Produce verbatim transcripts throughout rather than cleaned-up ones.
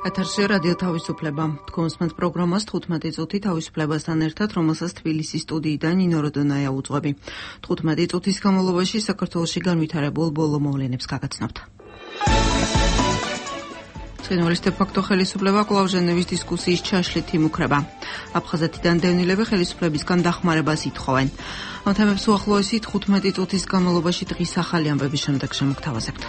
ეთერში რადიო თავისუფლება. თქვენს პროგრამას თხუთმეტი წუთი თავისუფლებასთან ერთად, რომელსაც თბილისის სტუდიიდან ნინო როდონაია უძღვები. თხუთმეტი წუთის განმავლობაში საქართველოში განვითარებულ ბოლო მოვლენებს გაგაცნობთ. ცხინვალის დე-ფაქტო ხელისუფლება კვლავ ჟენევის დისკუსიის ჩაშლით იმუქრება. აფხაზეთიდან დევნილები ხელისუფლებისგან დახმარებას ითხოვენ. ამ თემებს უახლოესი თხუთმეტი წუთის განმავლობაში დღის ახალი ამბების შემდეგ შემოგთავაზებთ.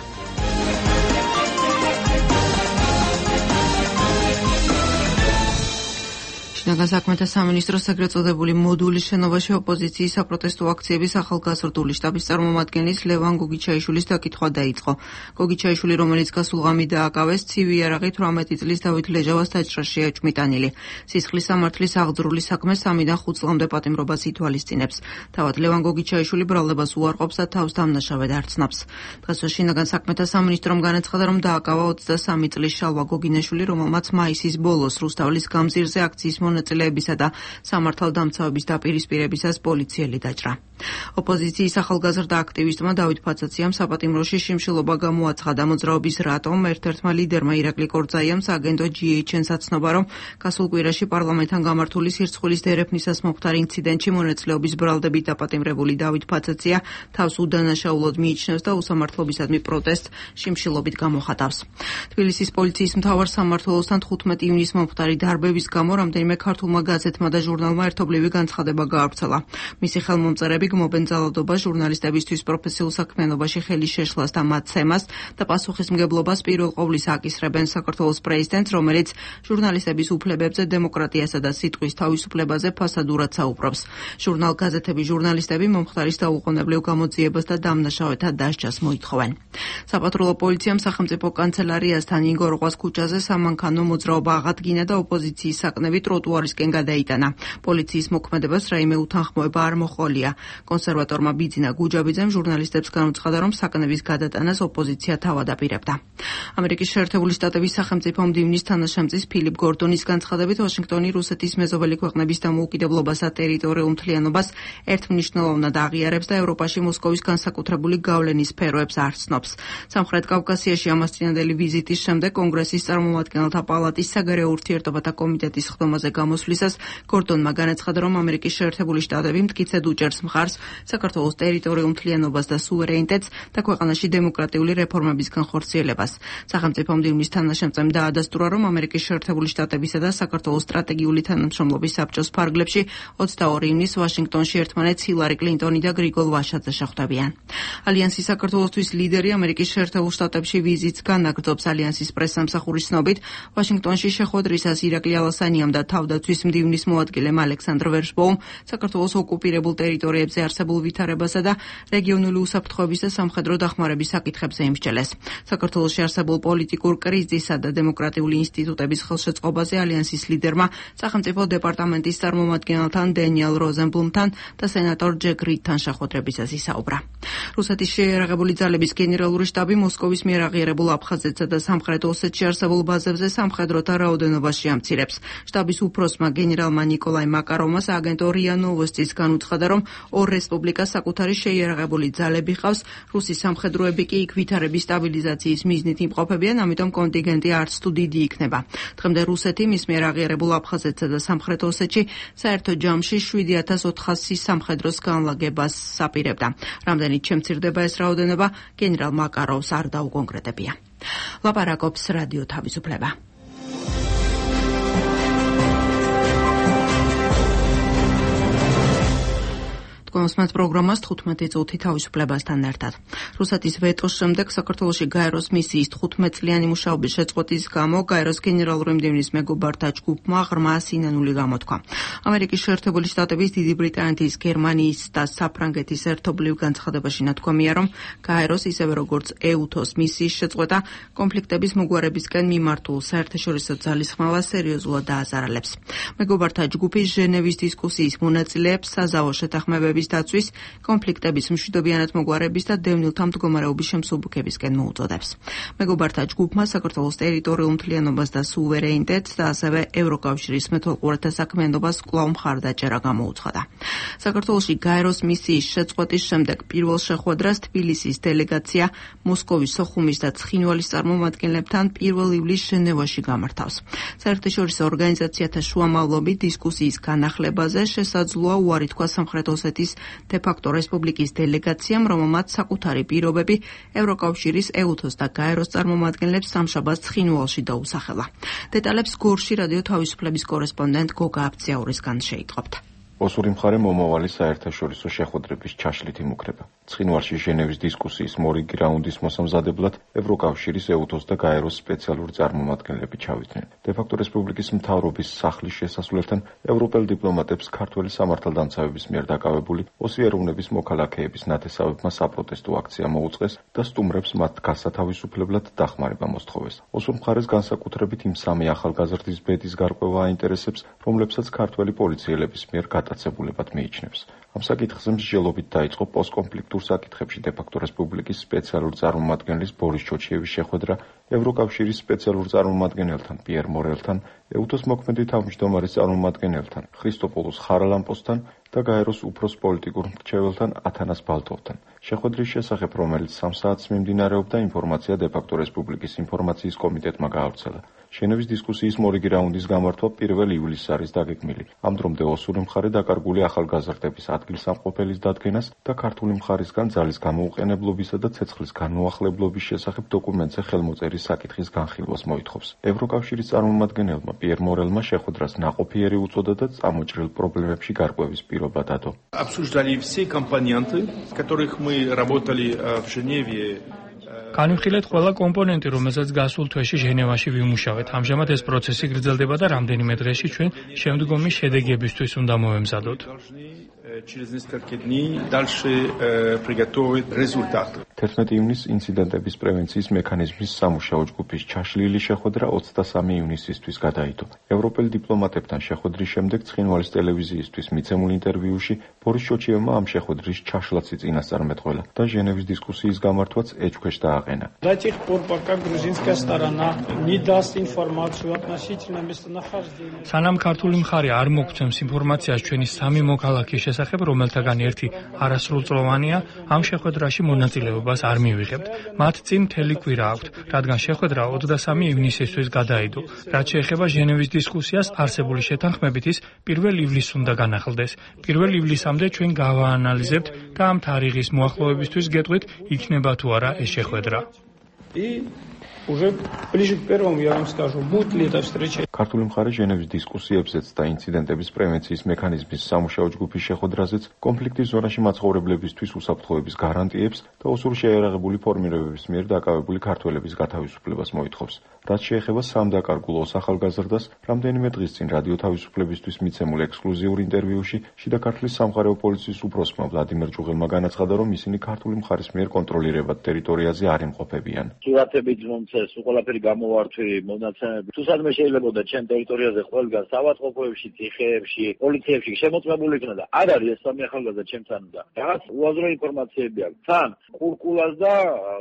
შინაგან საქმეთა სამინისტროს ეგრეთ წოდებული მოდულის შენობაში ოპოზიციის საპროტესტო აქციების ახალგაზრდული შტაბის წარმომადგენლის ლევან გოგიჩაიშვილის დაკითხვა დაიწყო. გოგიჩაიშვილი, რომელიც გასულ ღამით დააკავეს, ცივი იარაღით ორმეტი წლის დავით ლეჟავას დაჭრაშია ჭმიტანილი. სისხლის სამართლის აღძრული საქმე სამიდან ხუთ წლამდე პატიმრობას ითვალისწინებს. თავად ლევან გოგიჩაიშვილი ბრალდებას უარყოფს და თავს დამნაშავედ არ ცნობს. დღესვე შინაგან საქმეთა სამინისტრომ განაცხადა, რომ დააკავა ოცდასამი წლის შალვა გოგინაშვილი, რომელმაც მაისის ბოლოს რუსთაველის გამზირზე აქციის მონაწილეებისა და სამართალდამცავების დაპირისპირებისას პოლიციელი დაჭრა. ოპოზიციის ახალგაზრდა აქტივისტმა დავით ფაცაციამ საპატიმროში შიმშილობა გამოაცხადა. მოძრაობის რატომ ერთ-ერთმა ლიდერმა ირაკლი კორძაიამ სააგენტო ჯი ეიჩ ენს აცნობა, რომ გასულ კვირაში პარლამენტთან გამართული სირცხვილის დერეფნისას მომხდარ ინციდენტში მონაწილეობის ბრალდებით დაპატიმრებული დავით ფაცაცია თავს უდანაშაულოდ მიიჩნევს და უსამართლობისადმი პროტესტს შიმშილობით გამოხატავს. თბილისის პოლიციის მთავარ სამმართველოსთან თხუთმეტი ივნისს მომხდარი დარბების გამო რამდენიმე ქართულმა გაზეთმა და ჟურნალმა ერთობლივი განცხადება გაავრცელა. მისი ხელმომწერები გმობენ ძალადობას, ჟურნალისტებისთვის პროფესიულ საქმიანობაში ხელის შეშლას და მაცემას და პასუხისმგებლობას პირველ ყოვლისა აკისრებენ საქართველოს პრეზიდენტს, რომელიც ჟურნალისტების უფლებებზე, დემოკრატიასა და სიტყვის თავისუფლებაზე ფასადურად საუბრობს. ჟურნალ გაზეთების ჟურნალისტები მომხდარის დაუყოვნებლივ გამოძიებას და დამნაშავეთა დასჯას მოითხოვენ. საპატრულო პოლიციამ სახელმწიფო კანცელარიასთან ინგოროყვას ქუჩაზე სამანქანო მოძრაობა აღადგინა და ოპოზიციის საკნები ტროტუარისკენ გადაიტანა. პოლიციის მოქმედებას რაიმე უთანხმოება არ მოჰყოლია. კონსერვატორმა ბიძინა გუჯაბიძემ ჟურნალისტებს განუცხადა, რომ საკნების გადატანას ოპოზიცია თავად აპირებდა. ამერიკის შეერთებული შტატების სახელმწიფო მდივნის თანაშემწის ფილიპ გორდონის განცხადებით, ვაშინგტონი რუსეთის მეზობელი ქვეყნების დამოუკიდებლობასა და ტერიტორიულ მთლიანობას ერთმნიშვნელოვნად აღიარებს და ევროპაში მოსკოვის განსაკუთრებული გავლენის სფეროებს არ ცნობს. სამხრეთ კავკასიაში ამას წინანდელი ვიზიტის შემდეგ კონგრესის წარმომადგენელთა პალატის საგარეო ურთიერთობათა კომიტეტის ხდომაზე გამოსვლისას გორდონმა განაცხადა, რომ ამერიკის შეერთებული შტატები მტკიცედ უჭერს მხარს საქართველოს ტერიტორიულ მთლიანობას და სუვერენიტეტს და ქვეყანაში დემოკრატიული რეფორმების განხორციელებას. სახელმწიფო მდივნის თანაშემწემ დაადასტურა, რომ ამერიკის შეერთებული შტატებისა და საქართველოს სტრატეგიული თანამშრომლობის საბჭოს ფარგლებში ოცდაორი ივნისს ვაშინგტონში ერთმანეთს ჰილარი კლინტონი და გრიგოლ ვაშაძე შეხვდებიან. ალიანსის საქართველოსთვის ლიდერი ამერიკის შეერთებულ შტატებში ვიზიტს განაგრძობს. ალიანსის პრესსამსახურის ცნობით, ვაშინგტონში შეხვედრისას ირაკლი ალასანიამ და თავდაცვის მდივნის მოადგილემ ალექსანდრ ვერშბოუმ საქართველოს ოკუპირებულ ტერიტორიებზე არსებულ ვითარებასა და რეგიონული უსაფრთხოების და სამხედრო დახმარების საკითხებზე იმსჯელეს. საქართველოში არსებულ პოლიტიკურ კრიზისსა და დემოკრატიული ინსტიტუტების ხელშეწყობაზე ალიანსის ლიდერმა სახელმწიფო დეპარტამენტის წარმომადგენელთან დენიელ როზენბლუმთან და სენატორ ჯეკ რიდთან შეხვედრებისას ისაუბრა. რუსეთის შეიარაღებული ძალების გენერალური შტაბი მოსკოვის მიერ აღიარებულ აფხაზეთსა და სამხრეთ ოსეთში არსებულ ბაზებზე სამხედროთა რაოდენობას შეამცირებს. შტაბის უფროსმა გენერალმა ნიკოლაი მაკაროვმა სააგენტო რია ნოვოსტის განუცხადა, რომ ორ რესპუბლიკას საკუთარი შეიარაღებული ძალები ყავს, რუსი სამხედროები კი იქ ვითარების სტაბილიზაციის მიზნით იმყოფებიან, ამიტომ კონტინგენტი არც თუ დიდი იქნება. დღემდე რუსეთი მის მიერ აღიარებულ აფხაზეთსა და სამხრეთ ოსეთში საერთო ჯამში შვიდი ათას ოთხასი სამხედროს განლაგებას აპირებდა. რამდენით შემცირდება ეს რაოდენობა, გენერალ მაკაროვს არ დაუკონკრეტებია. ლაპარაკობს რადიო თავისუფლება. კონსმეთ პროგრამას თხუთმეტი წუთი თავისუფლებასთან ერთად. რუსეთის ვეტოს შემდეგ საქართველოში გაეროს მისიის თხუთმეტწლიანი მუშაობის შეწყვეტის გამო გაეროს გენერალური მდივნის მეგობართა ჯგუფმა ღრმა სინანული გამოთქვა. ამერიკის შეერთებული შტატების, დიდი ბრიტანეთის, გერმანიის და საფრანგეთის ერთობლივ განცხადებაში ნათქვამია, რომ გაეროს ისევე როგორც ეუთოს მისიის შეწყვეტა კონფლიქტების მოგვარებისკენ მიმართულ საერთაშორისო ძალისხმევას სერიოზულად დააზარალებს. მეგობართა ჯგუფის ჟენევის დისკუსიის მონაწილეებს საზავო შეთანხმებების ინტერესების დაცვის, კონფლიქტების, მშვიდობიანად მოგვარების და დევნილთა მდგომარეობის შემსუბუქებისკენ მოუწოდებს. მეგობართა ჯგუფმა საქართველოს ტერიტორიულ მთლიანობას და სუვერენიტეტს და ასევე ევროკავშირის მეთვალყურეთა საქმიანობას კვლავ მხარდაჭერა გამოუცხადა. საქართველოში გაეროს მისიის შეწყვეტის შემდეგ პირველ შეხვედრას თბილისის დელეგაცია მოსკოვის, სოხუმის და ცხინვალის წარმომადგენლებთან პირველ ივლისს ჟენევაში გამართავს. საერთაშორისო ორგანიზაციათა შუამავლობით დისკუსიის განახლებაზე შესაძლოა უარი თქვა სამხრეთ ოსეთის დე-ფაქტო რესპუბლიკის დელეგაციამ, რომელმაც საკუთარი პირობები ევროკავშირის, ეუთოს და გაეროს წარმომადგენლებს სამშაბათს ცხინვალში დაუსახელა. დეტალებს გორში რადიო თავისუფლების კორესპონდენტ გოგა აბციაურისგან შეიტყობთ. ოსური მხარე მომავალი საერთაშორისო შეხვედრების ჩაშლით იმუქრება. ცხინვალში ჟენევის დისკუსიის მორიგი რაუნდის მოსამზადებლად ევროკავშირის, ეუთოს და გაეროს სპეციალური წარმომადგენლები ჩავიდნენ. დე-ფაქტო რესპუბლიკის მთავრობის სახლის შესასვლელთან ევროპელ დიპლომატებს ქართველი სამართალდამცავების მიერ დაკავებული ოსი ეროვნების მოქალაქეების ნათესავებმა საპროტესტო აქცია მოუწყეს და სტუმრებს მათ გასათავისუფლებლად დახმარება მოსთხოვეს. ოსურ მხარეს განსაკუთრებით იმ სამი ახალგაზრდის ბედის გარკვევა აინტერესებს, რომლებსაც ქართველი პოლიციელების მიერ გატაცებულებად მიიჩნევს. ამ საკითხზე მსჯელობით დაიწყო პოსტკონფლიქტურ საკითხებში დე-ფაქტო რესპუბლიკის სპეციალური წარმომადგენლის ბორის ჩოჩიევის შეხვედრა ევროკავშირის სპეციალურ წარმომადგენელთან პიერ მორელთან, ეუთოს მოქმედი თავმჯდომარის წარმომადგენელთან ხრისტოპოლოს ხარალამპოსთან და გაეროს უფროს პოლიტიკურ მრჩეველთან ათანას ბალტოვთან. შეხვედრის შესახებ, რომელიც სამ საათს მიმდინარეობდა, ინფორმაცია დე-ფაქტო რესპუბლიკის ინფორმაციის კომიტეტმა გაავრცელა. ჟენევის დისკუსიის მორიგი რაუნდის გამართვა პირველ ივლისს არის დაგეგმილი. ამ დრომდე ოსური მხარე დაკარგული ახალგაზრდების ადგილსამყოფელის დადგენას და ქართული მხარისგან ძალის გამოუყენებლობისა და ცეცხლის განუახლებლობის შესახებ დოკუმენტზე ხელმოწერის საკითხის განხილვას მოითხოვს. ევროკავშირის წარმომადგენელმა პიერ მორელმა შეხვედრას ნაყოფიერი უწოდა და წამოჭრილ პრობლემებში გარკვევის პირობა დადო. Обсуждали все компоненты, которых мы работали в Женеве. განვიხილეთ ყველა კომპონენტი, რომელსაც გასულ თვეში ჟენევაში ვიმუშავეთ. ამჟამად ეს პროცესი გრძელდება და რამდენიმე დღეში ჩვენ შემდგომი შედეგებისთვის უნდა მოვემზადოთ. Через несколько дней дальше приготовить результаты. თერთმეტი ივნისს ინციდენტების პრევენციის მექანიზმის სამუშაო ჯგუფის ჩაშლილი შეხვედრა ოცდასამი ივნისისთვის გადაიდო. ევროპელ დიპლომატებთან შეხვედრის შემდეგ ცხინვალის ტელევიზიისთვის მიცემულ ინტერვიუში ბორის ჩოჩიევმა ამ შეხვედრის ჩაშლაც წინასწარ მეტყველა და ჟენევის დისკუსიის გამართვაც ეჭქვეშ დააყენა. До тех пор, пока грузинская сторона не даст информацию относительно местонахождения. სანამ ქართული მხარე არ მოგცემს ინფორმაციას ჩვენი სამი მოქალაქის შესახებ, რომელთაგან ერთი არასრულწლოვანია, ამ შეხვედრაში მონაწილეობას არ მივიღებთ. მათ წინ მთელი კვირა აქვთ, რადგან შეხვედრა ოცდასამი ივნისისთვის გადაიდო. რაც შეეხება ჟენევის დისკუსიას, არსებული შეთანხმებით ის პირველ ივლისს უნდა განახლდეს. პირველ ივლისამდე ჩვენ გავაანალიზებთ და ამ თარიღის მოახლოებისთვის გეტყვით, იქნება თუ არა ეს შეხვედრა. И уже ближе к первому я вам скажу, будет ли эта встреча. ქართული მხარე ჟენევის დისკუსიებზეც და ინციდენტების პრევენციის მექანიზმის სამუშაო ჯგუფის შეხვედრაზეც კონფლიქტის ზონაში მაცხოვრებლებისთვის უსაფრთხოების გარანტიებს და ოსურ შეიარაღებული ფორმირებების მიერ დაკავებული ქართველების გათავისუფლებას მოითხოვს. რაც შეეხება სამ დაკარგულ ოს ახალგაზრდას, რამდენიმე დღის წინ რადიო თავისუფლებისთვის მიცემულ ექსკლუზიურ ინტერვიუში შიდა ქართლის სამხარეო პოლიციის უფროსმა ვლადიმერ ჯუღელმა განაცხადა, რომ ისინი ქართული მხარის მიერ კონტროლირებად ტერიტორიაზე არ იმყოფებიან. სურათებით მომწეს, ყველაფერი გამოვართვი, მონაცემები. თუ სადმე შეიძლება ჩემ ტერიტორიაზე ყველგან საავადმყოფოებში, ციხეებში, პოლიციებში შემოწმებული იქნა და არ არის ეს სამი ახალგაზრდა ჩემთან და რაღაც უაზრო ინფორმაციები აქვს. თან ყურყულას და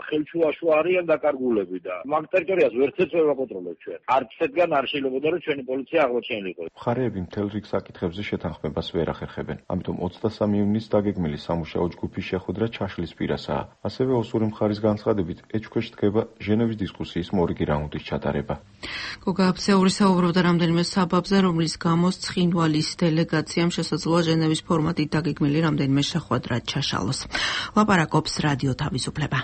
ხელჩუაშო არიან დაკარგულები და მაგ ტერიტორიას ვერცერთს ვერ ვაკონტროლებთ ჩვენ. არც ერთგან არ შეიძლება რომ ჩვენი პოლიცია აღმოჩენილიყო. მხარეები მთელ რიგ საკითხებზე შეთანხმებას ვერ ახერხებენ. ამიტომ ოცდასამი ივნისს დაგეგმილი სამუშაო ჯგუფის შეხვედრა ჩაშლის პირასაა. ასევე ოსური მხარის განცხადებით ეჭქვეშ დგება ჟენევის დისკუსიის მორიგი რაუნდის ჩატარება. გოგა აბციაური საუბრობდა რამდენიმე საბაბზე, რომლის გამოც ცხინვალის დელეგაციამ შესაძლოა ჟენევის ფორმატით დაგეგმილი რამდენიმე შეხვედრა ჩაშალოს. ლაპარაკობს რადიო თავისუფლება.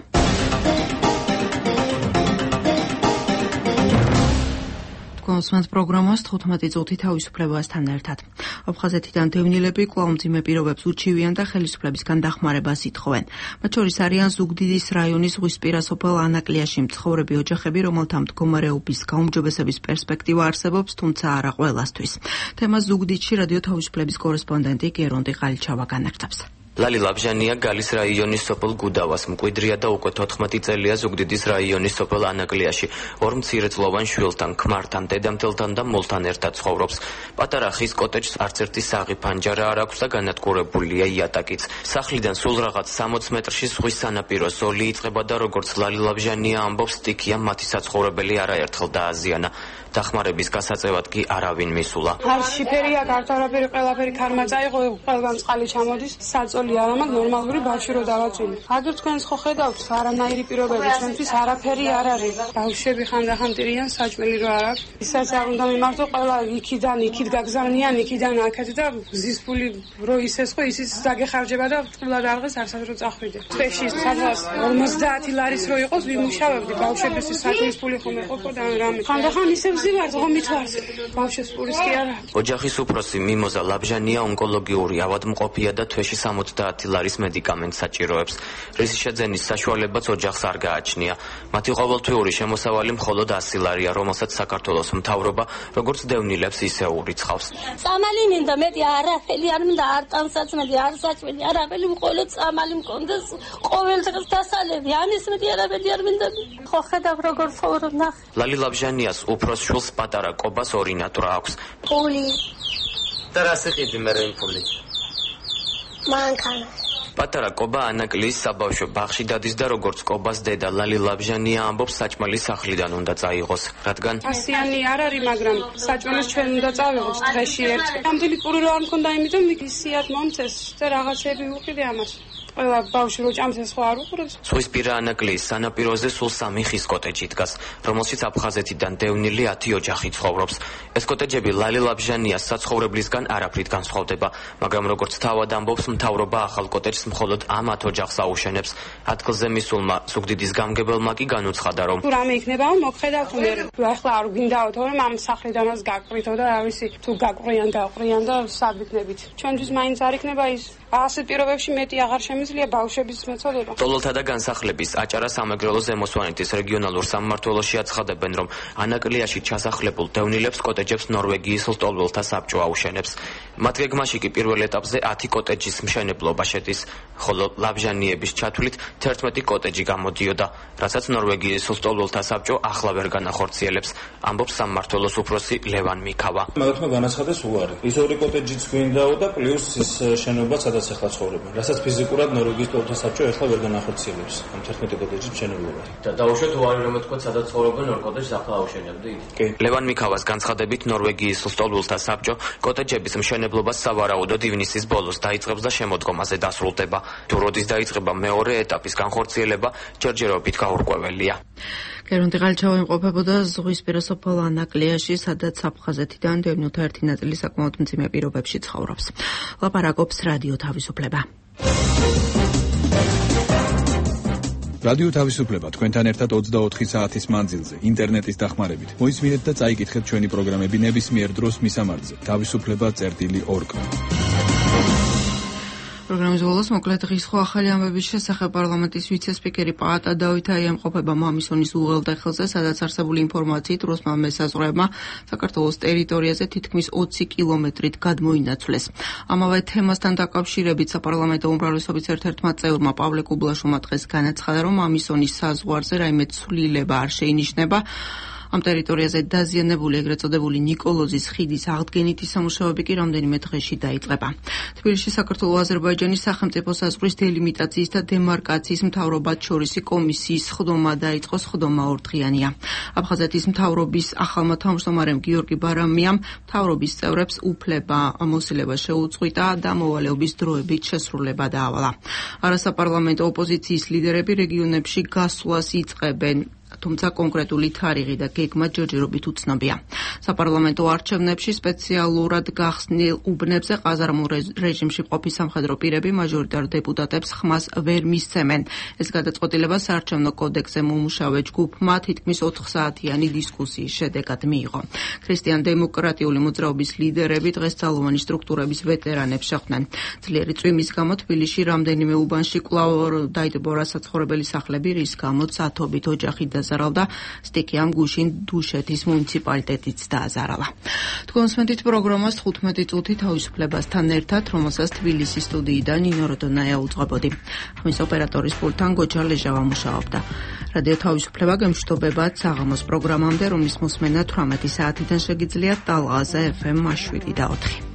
მოსმენთ პროგრამას თხუთმეტი წუთი თავისუფლებასთან ერთად. აფხაზეთიდან დევნილები კვლავ მძიმე პირობებს უჩივიან და ხელისუფლებისგან დახმარებას ითხოვენ. მათ შორის არიან ზუგდიდის რაიონის ზღვისპირა სოფელ ანაკლიაში მცხოვრები ოჯახები, რომელთა მდგომარეობის გაუმჯობესების პერსპექტივა არსებობს, თუმცა არა ყველასთვის. თემას ზუგდიდში რადიო თავისუფლების კორესპონდენტი გერონდი ყალიჩავა განაგრძობს. ლალი ლაბჟანია გალის რაიონის სოფელ გუდავას მკვიდრია და უკვე თოთხმეტი წელია ზუგდიდის რაიონის სოფელ ანაკლიაში ორ მცირეწლოვან შვილთან, ქმართან, დედამთელთან და მოლთან ერთად ცხოვრობს. პატარა ხის კოტეჯს არც ერთი საღი ფანჯარა არ აქვს და განადგურებულია იატაკიც. სახლიდან სულ რაღაც სამოც მეტრში ზღვის სანაპირო ზოლი იწყება და როგორც ლალი ლაბჟანია ამბობს, სტიქია მათი საცხოვრებელი არაერთხელ დააზიანა. დახმარების გასაწევად კი არავინ მისულა. არ შიფერია, კარტარაფერი, ყველაფერი ქარმა წაიღო, ყველგან წყალი ჩამოდის, საწოლი არ ამაქვს, ნორმალური ბავშვი რო დავაწვინე. აგერ თქვენს ხო ხედავთ, არანაირი პირობები, ჩვენთვის არაფერი არ არის. ბავშვები ხანდახან ტირიან, საჭმელი რო არ აქვს. ისაც არ უნდა მიმართო, ყველა იქიდან, იქით გაგზავნიან, იქიდან აქეთ და გზის ფული რო ისეს ხო, ისიც დაგეხარჯება და წყვილად არღეს არსად რო წახვიდე. თვეში სადღაც ორმოცდაათი ლარის რო იყოს, ვიმუშავებდი, ბავშვების საქმის ფული ხომ ეყოფოდა რამე. ხანდახან ისე ვზივართ, ღომით ვართ. ბავშვებს ფულის კი არა. ოჯახის უფროსი მიმოზა ლაბჟანია ონკოლოგიური ავადმყოფია და თვეში სამოცდაათი ლარის მედიკამენტს საჭიროებს. რისის შეძენის საშუალებაც ოჯახს არ გააჩნია. მათი ყოველთვიური შემოსავალი მხოლოდ ასი ლარია, რომელსაც საქართველოს მთავრობა როგორც დევნილებს, ისე ურიცხავს. წამალი მინდა, მეტი არაფერი არ მინდა, არ ტანსაცმელი, არ საჭმელი, არაფერი, მხოლოდ წამალი მქონდეს, ყოველ დღეს დასალევი, ამის მეტი არაფერი არ მინდა. ხო ხედავ როგორ ცხოვრობ ნახე. ლალი ლაბჟანიას უფროს შვილს პატარა კობას ორი ნატრა აქვს. ფული. და რა სიყიდი მე რემ ფული? მანქანა. პატარა კობა ანაკლიის საბავშვო ბაღში დადის და როგორც კობას დედა ლალი ლაბჟანია ამბობს, საჭმელი სახლიდან უნდა წაიღოს, რადგან ასიანი არ არის, მაგრამ საჭმელს ჩვენ უნდა წავიღოთ დღეში ერთი. ამდენი პური რო არ მქონდა, იმიტომ ისიად მომწეს და რაღაცები უყიდე ამას. ყველა ბავშვი რო ჭამს ეს ხო არ უყურებს. ზღვისპირა ანაკლიის სანაპიროზე სულ სამი ხის კოტეჯი დგას, რომელშიც აფხაზეთიდან დევნილი ათი ოჯახი ცხოვრობს. ეს კოტეჯები ლალი ლაბჟანიას საცხოვრებლისგან არაფრით განსხვავდება, მაგრამ როგორც თავად ამბობს, მთავრობა ახალ კოტეჯს მხოლოდ ამ ათ ოჯახს აუშენებს. ადგილზე მისულმა ზუგდიდის გამგებელმა კი განუცხადა, რომ თუ რამე იქნებაო, მოგხედავთ მე. თუ ახლა არ გვინდაოთ, რომ ამ სახლიდანაც გაგყრითო და რა ვიცი, თუ გაგყრიან, გაყრიან და სად ვიქნებით. ჩვენთვის მაინც არ იქნება ის. ასეთ პირობებში მეტი აღარ შემიძლია ბავშვების მეწოდება. ტოლოლთა და განსახლების აჭარა სამეგრელო ზემოსვანეთის რეგიონალურ სამმართველოში აცხადებენ, რომ ანაკლიაში ჩასახლებულ დევნილებს კოტეჯებს ნორვეგიის ლტოლველთა საბჭო აუშენებს. მათ გეგმაში კი პირველ ეტაპზე ათი კოტეჯის მშენებლობა შედის, ხოლო ლაბჟანიების ჩათვლით თერთმეტი კოტეჯი გამოდიოდა, რასაც ნორვეგიის ლტოლველთა საბჭო ახლა ვერ განახორციელებს, ამბობს სამმართველოს უფროსი ლევან მიქავა. მაგათმა განაცხადეს უარი. ის ორი კოტეჯიც გვინდაო და პლუს ის შენობა სადაც ახლა ცხოვრობენ, რასაც ფიზიკურად ნორვეგიის ლტოლველთა საბჭო ახლა ვერ განახორციელებს ამ თერთმეტი კოტეჯის მშენებლობა. და დაუშვათ უარი რომ ეთქვათ სადაც ცხოვრობენ ორ კოტეჯს ახლა აუშენებდით. კი. ლევან მიქავას განცხადებით ნორვეგიის ლტოლველთა საბჭო კოტეჯების მშენებლობას სავარაუდოდ ივნისის ბოლოს დაიწყებს და შემოდგომაზე დასრულდება. თუ როდის დაიწყება მეორე ეტაპის განხორციელება, ჯერჯერობით გაურკვეველია. გერონტი ღალჩავა იმყოფებოდა ზღვისპირა სოფელ ანაკლიაში, სადაც აფხაზეთიდან დევნილთა ერთი ნაწილი საკმაოდ მძიმე პირობებში ცხოვრობს. ლაპარაკობს რადიო თავისუფლება. რადიო თავისუფლება თქვენთან ერთად ოცდაოთხი საათის მანძილზე, ინტერნეტის დახმარებით. მოისმინეთ და წაიკითხეთ ჩვენი პროგრამები ნებისმიერ დროს მისამართზე. თავისუფლება წერტილი ორგ. პროგრამის ბოლოს მოკლედ დღის ხო ახალი ამბების შესახებ პარლამენტის ვიცე-სპიკერი პაატა დავითაი ემყოფება მამისონის უღელტეხილზე, სადაც არსებული ინფორმაციით რუსმა მესაზღვრეებმა საქართველოს ტერიტორიაზე თითქმის ოცი კილომეტრით გადმოინაცვლეს. ამავე თემასთან დაკავშირებით საპარლამენტო უმრავლესობის ერთ-ერთმა წევრმა პავლე კუბლაშოვმა დღეს განაცხადა, რომ მამისონის საზღვარზე რაიმე ცვლილება არ შეინიშნება. ამ ტერიტორიაზე დაზიანებული ეგრეთ წოდებული ნიკოლოზის ხიდის აღდგენითი სამუშაოები კი რამდენიმე დღეში დაიწყება. თბილისში საქართველო-აზერბაიჯანის სახელმწიფო საზღვრის დელიმიტაციის და დემარკაციის მთავრობათ შორისი კომისიის სხდომა დაიწყო, სხდომა ორდღიანია. აფხაზეთის მთავრობის ახალმა თავმჯდომარემ გიორგი ბარამიამ მთავრობის წევრებს უფლება მოსილება შეუწყვიტა და მოვალეობის დროებით შესრულება დაავალა. არასაპარლამენტო ოპოზიციის ლიდერები რეგიონებში გასვლას იწყებენ. თუმცა კონკრეტული თარიღი და გეგმა ჯერჯერობით უცნობია. საპარლამენტო არჩევნებში სპეციალურად გახსნილ უბნებზე ყაზარმულ რეჟიმში მყოფი სამხედრო პირები მაჟორიტარ დეპუტატებს ხმას ვერ მისცემენ. ეს გადაწყვეტილება საარჩევნო კოდექსზე მომუშავე ჯგუფმა თითქმის ოთხსაათიანი დისკუსიის შედეგად მიიღო. ქრისტიან-დემოკრატიული მოძრაობის ლიდერები დღეს ძალოვანი სტრუქტურების ვეტერანებს შეხვდნენ. ძლიერი წვიმის გამო თბილისში რამდენიმე უბანში კვლავ დაიდებო საცხოვრებელი სახლები, რის გამოც ათობით ოჯახი და დააზარავდა, სტიქიამ გუშინ დუშეთის მუნიციპალიტეტიც დააზარალა. თქვენს მეთით პროგრამას თხუთმეტი წუთი თავისუფლებასთან ერთად, რომელსაც თბილისის სტუდიიდან ნინო როდონაია უძღვებოდი. ხმის ოპერატორის პულტთან გოჯა ლეჟავა მუშაობდა. რადიო თავისუფლება გემშვიდობებათ საღამოს პროგრამამდე, რომლის მოსმენა თვრამეტი საათიდან შეგიძლიათ ტალღაზე ეფ ემ შვიდი და ოთხი.